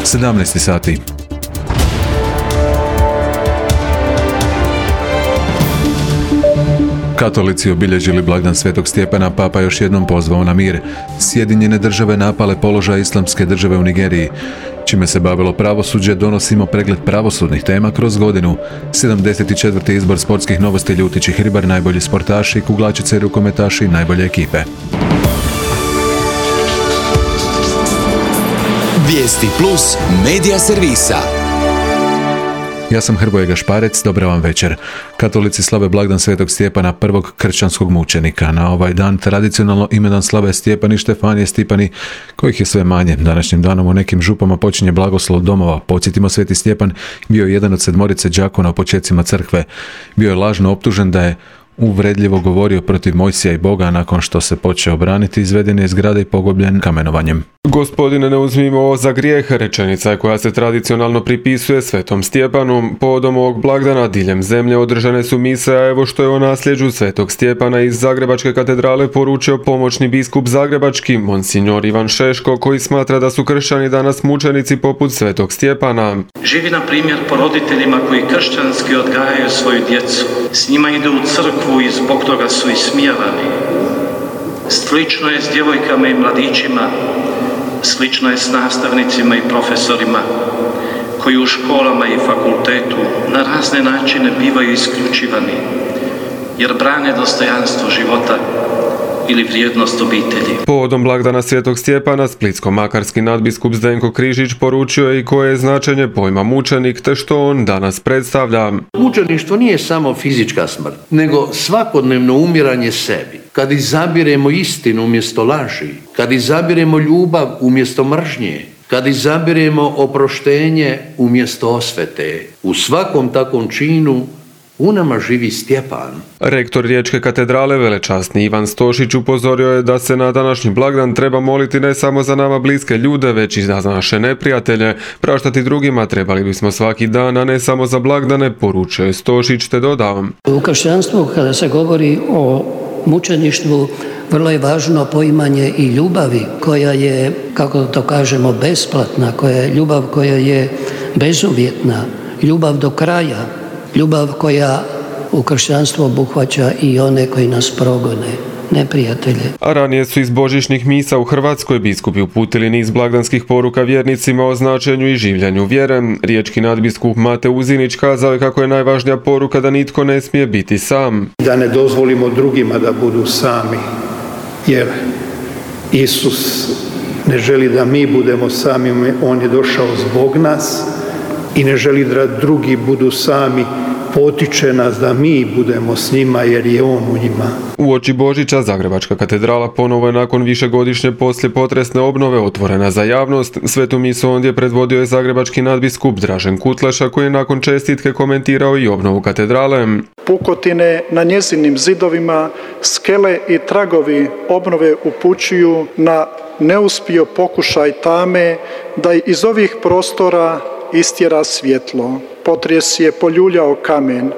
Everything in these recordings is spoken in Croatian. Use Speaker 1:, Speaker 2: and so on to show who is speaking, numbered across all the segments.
Speaker 1: 17 sati. Katolici obilježili blagdan Svetog Stjepana, papa još jednom pozvao na mir. Sjedinjene države napale položaj Islamske države u Nigeriji. Čime se bavilo pravosuđe, donosimo pregled pravosudnih tema kroz godinu. 74. izbor sportskih novosti Ljutić i Hribar, najbolji sportaši, kuglačice i rukometaši, najbolje ekipe.
Speaker 2: Vijesti plus medija servisa.
Speaker 1: Ja sam Hrvoje Gašparec, dobra vam večer. Katolici slave blagdan Svetog Stjepana, prvog kršćanskog mučenika. Na ovaj dan tradicionalno imedan slave Stjepani, Štefanije, Stipani, kojih je sve manje. Današnjim danom u nekim župama počinje blagoslov domova. Podsjetimo, Sveti Stjepan bio je jedan od 7 đakona u počecima crkve. Bio je lažno optužen da je uvredljivo govorio protiv Mojsija i Boga, nakon što se počeo braniti, izveden je iz grada i pogubljen kamenovanjem.
Speaker 3: Gospodine, ne uzmimo ovo za grijeh, rečenica je koja se tradicionalno pripisuje Svetom Stjepanu. Povodom ovog blagdana diljem zemlje održane su mise, a evo što je o nasljeđu Svetog Stjepana iz Zagrebačke katedrale poručio pomoćni biskup zagrebački, monsignor Ivan Šeško, koji smatra da su kršćani danas mučenici poput Svetog Stjepana.
Speaker 4: Živi na primjer po roditeljima koji kršćanski odgajaju svoju djecu. S njima ide u crkvu i zbog toga su ismijavani. Slično je s djevojkama i mladićima, slično je s nastavnicima i profesorima koji u školama i fakultetu na razne načine bivaju isključivani jer brane dostojanstvo života ili vrijednost obitelji.
Speaker 3: Povodom blagdana Svetog Stjepana splitsko-makarski nadbiskup Zdenko Križić poručio je i koje je značenje pojma mučenik te što on danas predstavlja.
Speaker 5: Mučeništvo nije samo fizička smrt, nego svakodnevno umiranje sebi. Kad izabiremo istinu umjesto laži, kad izabiremo ljubav umjesto mržnje, kad izabiremo oproštenje umjesto osvete, u svakom takvom činu u nama živi Stjepan.
Speaker 3: Rektor Riječke katedrale velečasni Ivan Stošić upozorio je da se na današnji blagdan treba moliti ne samo za nama bliske ljude, već i za naše neprijatelje. Praštati drugima trebali bismo svaki dan, a ne samo za blagdane, poručio je Stošić te dodao.
Speaker 6: U kršćanstvu kada se govori o mučeništvu, vrlo je važno poimanje i ljubavi koja je, kako to kažemo, besplatna, koja je ljubav koja je bezuvjetna, ljubav do kraja. Ljubav koja u kršćanstvu obuhvaća i one koji nas progone, neprijatelje.
Speaker 3: A ranije su iz božićnih misa u Hrvatskoj biskupi uputili niz blagdanskih poruka vjernicima o značenju i življenju vjere. Riječki nadbiskup Mate Uzinić kazao je kako je najvažnija poruka da nitko ne smije biti sam.
Speaker 7: Da ne dozvolimo drugima da budu sami, jer Isus ne želi da mi budemo sami, on je došao zbog nas i ne želi da drugi budu sami, potiče nas da mi budemo s njima jer je on u njima.
Speaker 3: Uoči Božića Zagrebačka katedrala ponovo je nakon višegodišnje poslijepotresne obnove otvorena za javnost. Svetu misu ondje predvodio je zagrebački nadbiskup Dražen Kutleša, koji je nakon čestitke komentirao i obnovu katedrale.
Speaker 8: Pukotine na njezinim zidovima, skele i tragovi obnove upućuju na neuspio pokušaj tame da iz ovih prostora istjera svjetlo. Potres je poljuljao kamen,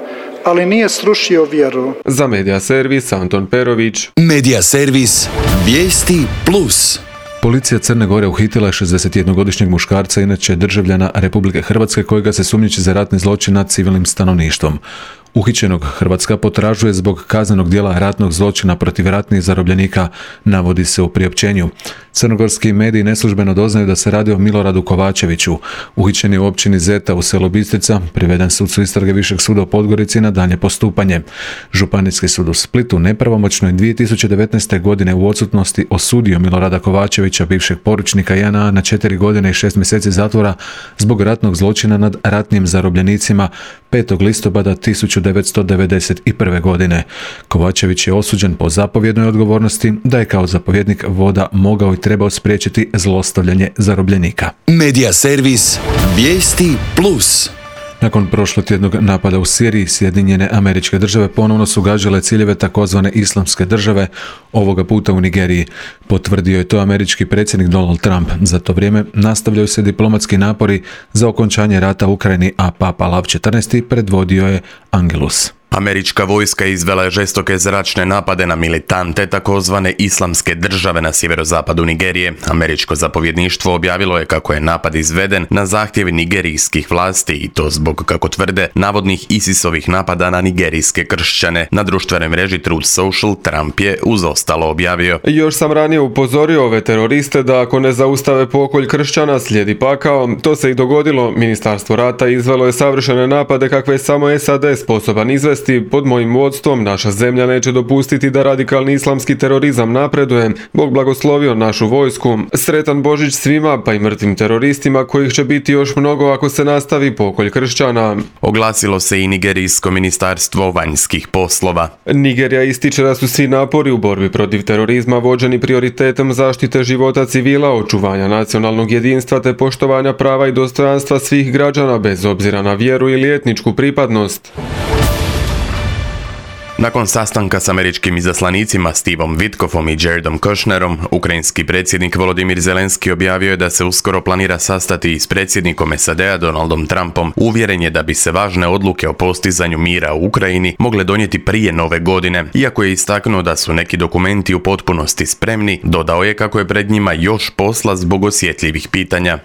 Speaker 8: ali nije srušio vjeru.
Speaker 3: Za Medija servis Anton Perović.
Speaker 2: Medija servis Vijesti plus.
Speaker 1: Policija Crne Gore uhitila je 61-godišnjeg muškarca, inače državljana Republike Hrvatske, kojega se sumnjiči za ratni zločin nad civilnim stanovništvom. Uhićenog Hrvatska potražuje zbog kaznenog djela ratnog zločina protiv ratnih zarobljenika, navodi se u priopćenju. Crnogorski mediji neslužbeno doznaju da se radi o Miloradu Kovačeviću. Uhićen je u općini Zeta u selu Bistrica, priveden sucu istrage Višeg suda u Podgorici na daljnje postupanje. Županijski sud u Splitu nepravomoćno je 2019. godine u odsutnosti osudio Milorada Kovačevića, bivšeg poručnika JNA, na 4 godine i 6 mjeseci zatvora zbog ratnog zločina nad ratnim zarobljenicima 5. listopada 1991. godine. Kovačević je osuđen po zapovjednoj odgovornosti da je kao zapovjednik voda mogao i trebao spriječiti zlostavljanje zarobljenika.
Speaker 2: Medija servis Vijesti plus.
Speaker 1: Nakon prošlotjednog napada u Siriji, Sjedinjene Američke Države ponovno su gađale ciljeve takozvane Islamske države, ovoga puta u Nigeriji. Potvrdio je to američki predsjednik Donald Trump. Za to vrijeme nastavljaju se diplomatski napori za okončanje rata u Ukrajini, a Papa Lav XIV predvodio je Angelus.
Speaker 9: Američka vojska izvela je žestoke zračne napade na militante takozvane islamske države na sjeverozapadu Nigerije. Američko zapovjedništvo objavilo je kako je napad izveden na zahtjev nigerijskih vlasti i to zbog, kako tvrde, navodnih ISIS-ovih napada na nigerijske kršćane. Na društvenoj mreži Truth Social Trump je uz ostalo objavio:
Speaker 3: Još sam ranije upozorio ove teroriste da ako ne zaustave pokolj kršćana slijedi pakao. To se i dogodilo. Ministarstvo rata izvelo je savršene napade kakve je samo SAD sposoban izvesti. Pod mojim vodstvom naša zemlja neće dopustiti da radikalni islamski terorizam napreduje. Bog blagoslovio našu vojsku. Sretan Božić svima, pa i mrtvim teroristima, kojih će biti još mnogo ako se nastavi pokolj kršćana.
Speaker 9: Oglasilo se i nigerijsko ministarstvo vanjskih poslova.
Speaker 3: Nigerija ističe da su svi napori u borbi protiv terorizma vođeni prioritetom zaštite života civila, očuvanja nacionalnog jedinstva te poštovanja prava i dostojanstva svih građana bez obzira na vjeru ili etničku pripadnost.
Speaker 9: Nakon sastanka s američkim izaslanicima Stevom Witkoffom i Jaredom Kushnerom, ukrajinski predsjednik Volodymyr Zelenski objavio je da se uskoro planira sastati i s predsjednikom SAD-a Donaldom Trumpom. Uvjeren je da bi se važne odluke o postizanju mira u Ukrajini mogle donijeti prije nove godine. Iako je istaknuo da su neki dokumenti u potpunosti spremni, dodao je kako je pred njima još posla zbog osjetljivih pitanja.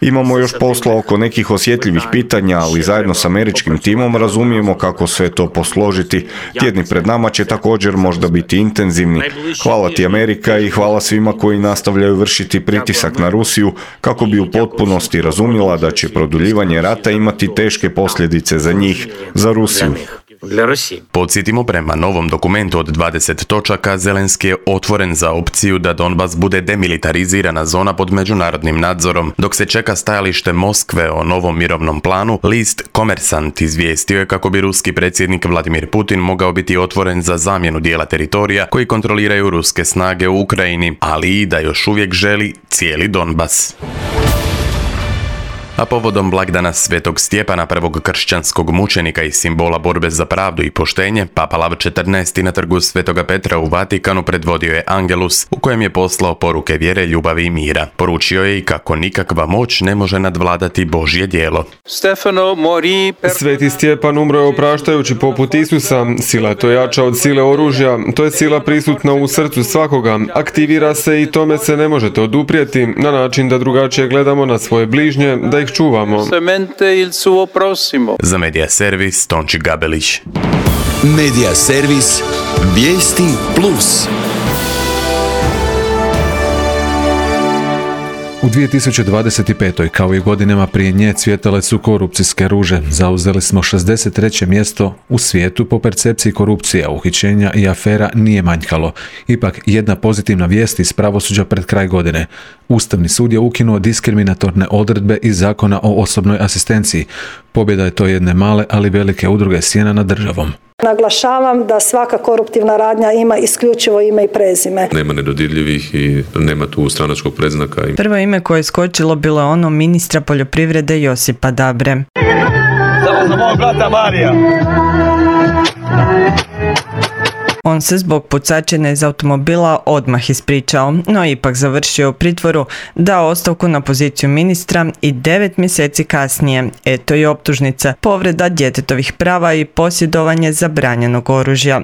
Speaker 10: Imamo još posla oko nekih osjetljivih pitanja, ali zajedno s američkim timom razumijemo kako sve to posložiti. Tjedni pred nama će također možda biti intenzivni. Hvala ti Amerika i hvala svima koji nastavljaju vršiti pritisak na Rusiju kako bi u potpunosti razumjela da će produljivanje rata imati teške posljedice za njih, za Rusiju.
Speaker 9: Podsjetimo, prema novom dokumentu od 20 točaka, Zelenski je otvoren za opciju da Donbas bude demilitarizirana zona pod međunarodnim nadzorom. Dok se čeka stajalište Moskve o novom mirovnom planu, list Komersant izvijestio je kako bi ruski predsjednik Vladimir Putin mogao biti otvoren za zamjenu dijela teritorija koji kontroliraju ruske snage u Ukrajini, ali i da još uvijek želi cijeli Donbas. A povodom blagdana Svetog Stjepana, prvog kršćanskog mučenika i simbola borbe za pravdu i poštenje, Papa Lav XIV na trgu Svetoga Petra u Vatikanu predvodio je Angelus, u kojem je poslao poruke vjere, ljubavi i mira. Poručio je i kako nikakva moć ne može nadvladati Božje djelo.
Speaker 3: Sveti Stjepan umro je opraštajući poput Isusa. Sila je to jača od sile oružja. To je sila prisutna u srcu svakoga. Aktivira se i tome se ne možete oduprijeti na način da drugačije gledamo na svoje bližnje, da ih čuvamo.
Speaker 9: Za Medija servis Tonči Gabelić.
Speaker 2: Medija servis Vijesti Plus.
Speaker 1: U 2025. kao i godinama prije nje cvjetale su korupcijske ruže. Zauzeli smo 63. mjesto u svijetu po percepciji korupcije, uhićenja i afera nije manjkalo. Ipak jedna pozitivna vijest iz pravosuđa pred kraj godine. Ustavni sud je ukinuo diskriminatorne odredbe iz Zakona o osobnoj asistenciji. Pobjeda je to jedne male, ali velike udruge sjena nad državom.
Speaker 11: Naglašavam da svaka koruptivna radnja ima isključivo ime i prezime.
Speaker 12: Nema nedodirljivih i nema tu stranačkog predznaka.
Speaker 13: Prvo ime koje je skočilo bilo je ono ministra poljoprivrede Josipa Dabre.
Speaker 14: Za mog brata Marija.
Speaker 13: On se zbog pucačine iz automobila odmah ispričao, no ipak završio u pritvoru, dao ostavku na poziciju ministra i 9 mjeseci kasnije, eto i optužnica, povreda djetetovih prava i posjedovanje zabranjenog oružja.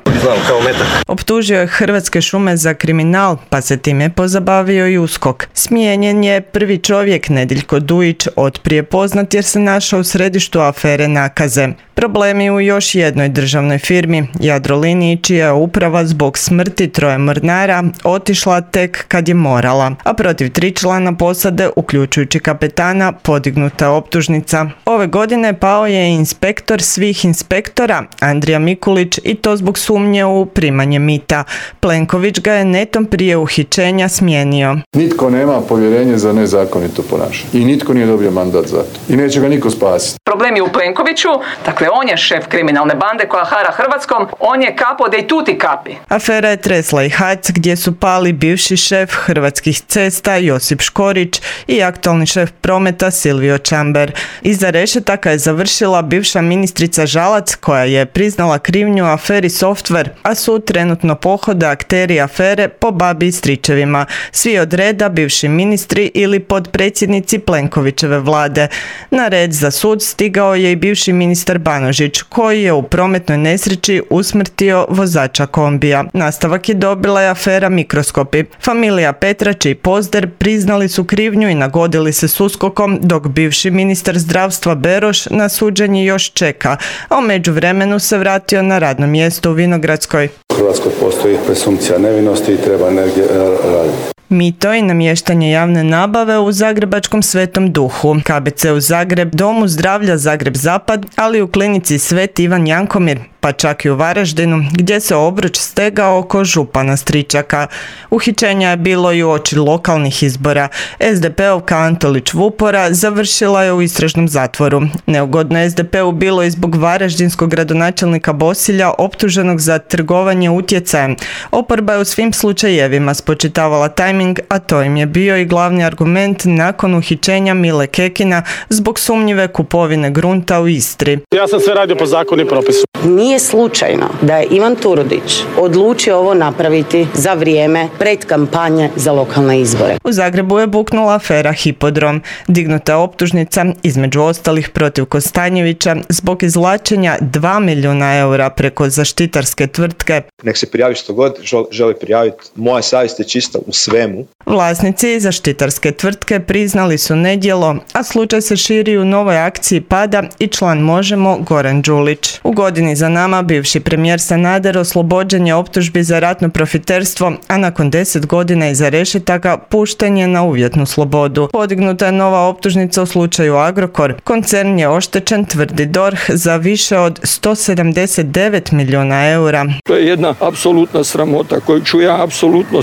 Speaker 13: Optužio je Hrvatske šume za kriminal, pa se time pozabavio i USKOK. Smijenjen je prvi čovjek Nediljko Dujić, otprije poznat jer se našao u središtu afere nakaze. Problemi u još jednoj državnoj firmi, Jadroliniji, čija je uprava zbog smrti 3 mornara otišla tek kad je morala, a protiv 3 člana posade, uključujući kapetana, podignuta optužnica. Ove godine pao je inspektor svih inspektora, Andrija Mikulić, i to zbog sumnje u primanje mita. Plenković ga je netom prije uhićenja smijenio.
Speaker 15: Nitko nema povjerenje za nezakonito ponašanje i nitko nije dobio mandat za to i neće ga niko spasiti.
Speaker 16: Problem je u Plenkoviću, dakle on je šef kriminalne bande koja hara Hrvatskom, on je capo dei tutti capi.
Speaker 13: Afera je tresla i HAC gdje su pali bivši šef Hrvatskih cesta Josip Škorić i aktualni šef prometa Silvio Čamber. Iza rešetaka je završila bivša ministrica Žalac koja je priznala krivnju aferi Software, a sud trenutno pohode akteri afere po babi i stričevima. Svi od reda bivši ministri ili podpredsjednici Plenkovićeve vlade. Na red za sud stigao je i bivši ministar Banožić, koji je u prometnoj nesreći usmrtio vozača kombija. Nastavak je dobila i afera Mikroskopi. Familija Petrač i Pozder priznali su krivnju i nagodili se s USKOK-om, dok bivši ministar zdravstva Beroš na suđenje još čeka, a u međuvremenu se vratio na radno mjesto u Vinogradskoj.
Speaker 17: U Hrvatskoj postoji presumpcija nevinosti i treba energije raditi.
Speaker 13: Mito i namještanje javne nabave u zagrebačkom Svetom Duhu, KBC u Zagreb, Domu zdravlja Zagreb Zapad, ali i u klinici Sveti Ivan Jankomir, pa čak i u Varaždinu, gdje se obruč stegao oko župana Stričaka. Uhićenja je bilo i uoči lokalnih izbora. SDP-ovka Antolić Vupora završila je u istražnom zatvoru. Neugodno SDP-u bilo i zbog varaždinskog gradonačelnika Bosilja optuženog za trgovanje utjecajem. Oporba je u svim slučajevima spočitavala tajming, a to im je bio i glavni argument nakon uhićenja Mile Kekina zbog sumnjive kupovine grunta u Istri.
Speaker 18: Ja sam sve radio po zakonu i propisu.
Speaker 19: Nije slučajno da je Ivan Turudić odlučio ovo napraviti za vrijeme pred kampanje za lokalne izbore.
Speaker 13: U Zagrebu je buknula afera Hipodrom. Dignuta je optužnica, između ostalih protiv Kostanjevića, zbog izvlačenja 2 milijuna eura preko zaštitarske tvrtke.
Speaker 20: Nek se prijavi što god želi prijaviti. Moja savjest je čista u svemu.
Speaker 13: Vlasnici zaštitarske tvrtke priznali su nedjelo, a slučaj se širi u novoj akciji pada i član Možemo Goran Đulić. U godini za nama bivši premijer Sanader oslobođen je optužbi za ratno profiterstvo, a nakon 10 godina iza rešetaka pušten je na uvjetnu slobodu. Podignuta je nova optužnica u slučaju Agrokor. Koncern je oštećen, tvrdi DORH, za više od 179 milijuna eura.
Speaker 18: To je jedna apsolutna sramota koju ću ja apsolutno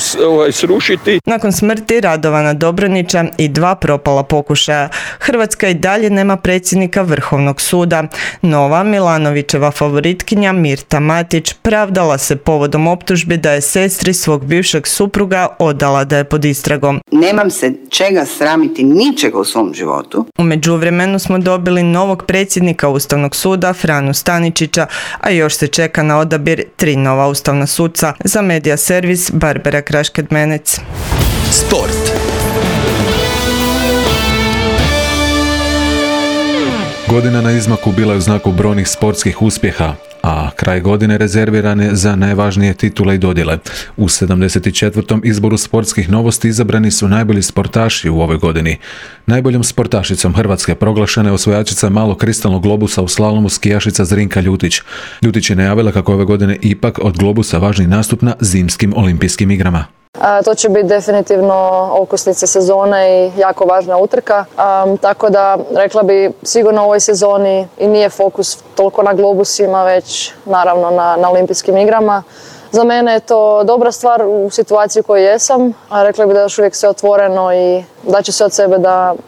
Speaker 18: srušiti.
Speaker 13: Nakon smrti Radovana Dobronića i 2 propala pokušaja, Hrvatska i dalje nema predsjednika Vrhovnog suda. Nova Milanovićeva favoritkinja Mirta Matić pravdala se povodom optužbi da je sestri svog bivšeg supruga odala da je pod istragom.
Speaker 21: Nemam se čega sramiti, ničega u svom životu.
Speaker 13: U međuvremenu smo dobili novog predsjednika Ustavnog suda, Franu Staničića, a još se čeka na odabir 3 nova ustavna suca. Za Medija servis, Barbara Krašked-Menec.
Speaker 2: Sport.
Speaker 1: Godina na izmaku bila je u znaku brojnih sportskih uspjeha, a kraj godine rezerviran je za najvažnije titule i dodjele. U 74. izboru sportskih novosti izabrani su najbolji sportaši u ovoj godini. Najboljom sportašicom Hrvatske proglašena je osvojačica malog kristalnog globusa u slalomu skijašica Zrinka Ljutić. Ljutić je najavila kako ove godine ipak od globusa važni nastup na zimskim olimpijskim igrama.
Speaker 22: To će biti definitivno okosnica sezone i jako važna utrka, tako da rekla bi sigurno u ovoj sezoni i nije fokus toliko na globusima, već naravno na olimpijskim igrama. Za mene je to dobra stvar u situaciji u kojoj jesam, a rekla bi da je još uvijek sve otvoreno i da će se od sebe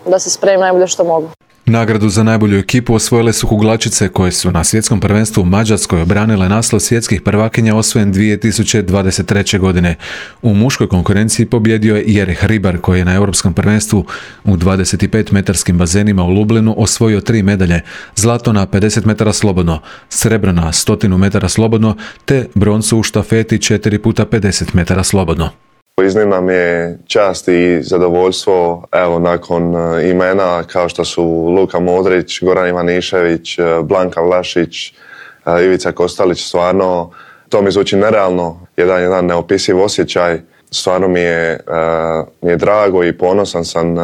Speaker 22: da se spremim najbolje što mogu.
Speaker 1: Nagradu za najbolju ekipu osvojile su kuglačice koje su na svjetskom prvenstvu u Mađarskoj obranile naslov svjetskih prvakinja osvojen 2023. godine. U muškoj konkurenciji pobjedio je Jerih Ribar koji je na europskom prvenstvu u 25-metarskim bazenima u Lublinu osvojio 3 medalje, zlato na 50 metara slobodno, srebro na 100 metara slobodno te broncu u štafeti 4x50 metara slobodno.
Speaker 23: Iznimna mi je čast i zadovoljstvo, evo, nakon imena kao što su Luka Modrić, Goran Ivanišević, Blanka Vlašić, Ivica Kostalić, stvarno to mi zvuči nerealno, jedan neopisiv osjećaj, stvarno mi je drago i ponosan sam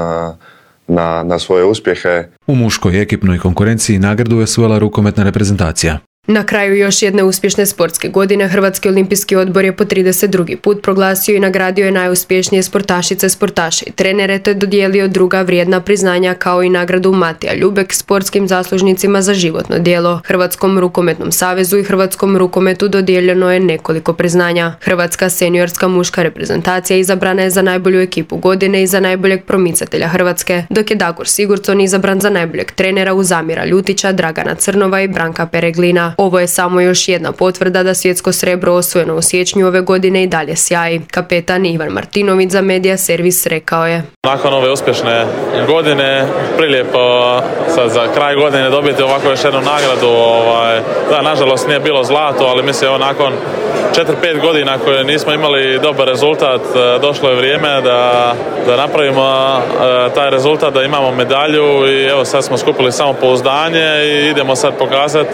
Speaker 23: na svoje uspjehe.
Speaker 1: U muškoj ekipnoj konkurenciji nagradu je osvojila rukometna reprezentacija.
Speaker 24: Na kraju još jedne uspješne sportske godine Hrvatski olimpijski odbor je po 32. put proglasio i nagradio je najuspješnije sportašice, sportaše i trenere te dodijelio druga vrijedna priznanja kao i nagradu Matija Ljubek sportskim zaslužnicima za životno djelo. Hrvatskom rukometnom savezu i Hrvatskom rukometu dodijeljeno je nekoliko priznanja. Hrvatska seniorska muška reprezentacija izabrana je za najbolju ekipu godine i za najboljeg promicatelja Hrvatske, dok je Dagur Sigurdsson izabran za najboljeg trenera uz Amira Ljutića, Dragana Crnova i Branka Pereglina. Ovo je samo još jedna potvrda da svjetsko srebro osvojeno u siječnju ove godine i dalje sjaji. Kapetan Ivan Martinović za Medija Servis rekao je:
Speaker 4: Nakon ove uspješne godine, prilijepo sad za kraj godine dobiti ovako još jednu nagradu. Da, nažalost nije bilo zlato, ali mislim nakon 4-5 godina koje nismo imali dobar rezultat, došlo je vrijeme da napravimo taj rezultat, da imamo medalju i evo sad smo skupili samopouzdanje i idemo sad pokazati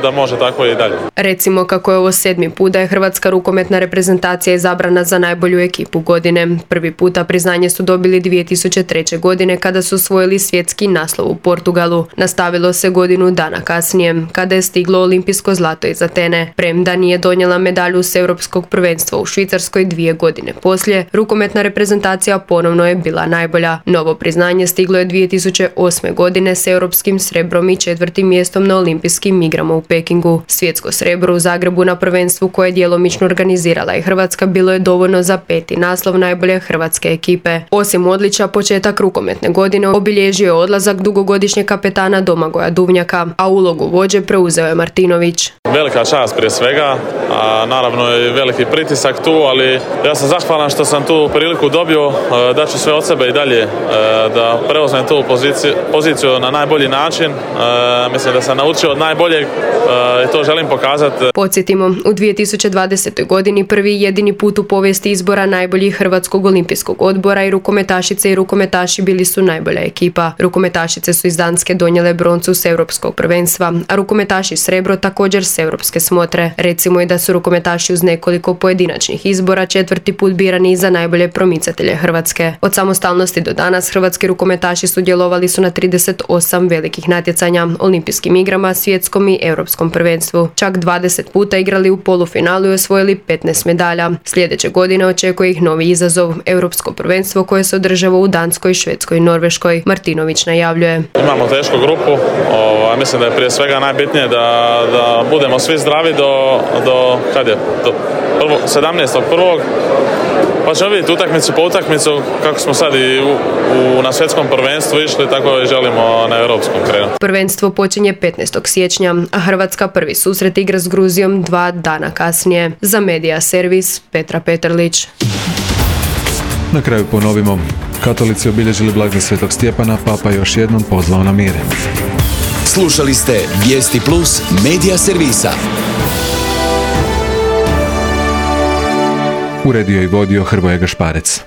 Speaker 4: da može tako i dalje.
Speaker 24: Recimo kako je ovo 7. put da je hrvatska rukometna reprezentacija izabrana za najbolju ekipu godine. Prvi puta priznanje su dobili 2003. godine kada su osvojili svjetski naslov u Portugalu. Nastavilo se godinu dana kasnije kada je stiglo olimpijsko zlato iz Atene. Premda nije donijela medalju s europskog prvenstva u Švicarskoj 2 godine poslije, rukometna reprezentacija ponovno je bila najbolja. Novo priznanje stiglo je 2008. godine s europskim srebrom i 4. mjestom na olimpijskim igrama u Pekingu. Svjetsko srebro u Zagrebu na prvenstvu koje je djelomično organizirala i Hrvatska bilo je dovoljno za 5. naslov najbolje hrvatske ekipe. Osim odličja, početak rukometne godine obilježio je odlazak dugogodišnjeg kapetana Domagoja Duvnjaka, a ulogu vođe preuzeo je Martinović.
Speaker 4: Velika čast prije svega, a naravno i veliki pritisak tu, ali ja sam zahvalan što sam tu priliku dobio, da ću sve od sebe i dalje da preuzmem tu poziciju na najbolji način. Mislim da sam naučio od najboljeg i to želim pokazati.
Speaker 24: Podsjetimo, u 2020. godini prvi i jedini put u povijesti izbora najboljih Hrvatskog olimpijskog odbora i rukometašice i rukometaši bili su najbolja ekipa. Rukometašice su iz Danske donijele broncu s europskog prvenstva, a rukometaši srebro također s europske smotre. Recimo i da su rukometaši uz nekoliko pojedinačnih izbora 4. put birani za najbolje promicatelje Hrvatske. Od samostalnosti do danas hrvatski rukometaši sudjelovali su na 38 velikih natjecanja, olimpijskim igrama, svjetskom i europskom prvenstvu. Čak 20 puta igrali u polufinalu i osvojili 15 medalja. Sljedeće godine očekuje ih novi izazov, europsko prvenstvo koje se održava u Danskoj, Švedskoj i Norveškoj. Martinović najavljuje:
Speaker 4: Imamo tešku grupu, mislim da je prije svega najbitnije da budemo svi zdravi do 17.1. Pa ćemo vidjeti utakmicu po utakmicu kako smo sad i na svjetskom prvenstvu išli, tako i želimo na europskom krenuti.
Speaker 24: Prvenstvo počinje 15. siječnja, a Hrvatska prvi susret igra s Gruzijom 2 dana kasnije. Za Medija Servis, Petra Petrlić.
Speaker 1: Na kraju ponovimo. Katolici obilježili blagdan Svetog Stjepana, Papa još jednom pozvao na mir.
Speaker 2: Slušali ste Vijesti Plus Medija Servisa.
Speaker 1: Uredio i vodio Hrvoje Gašparec.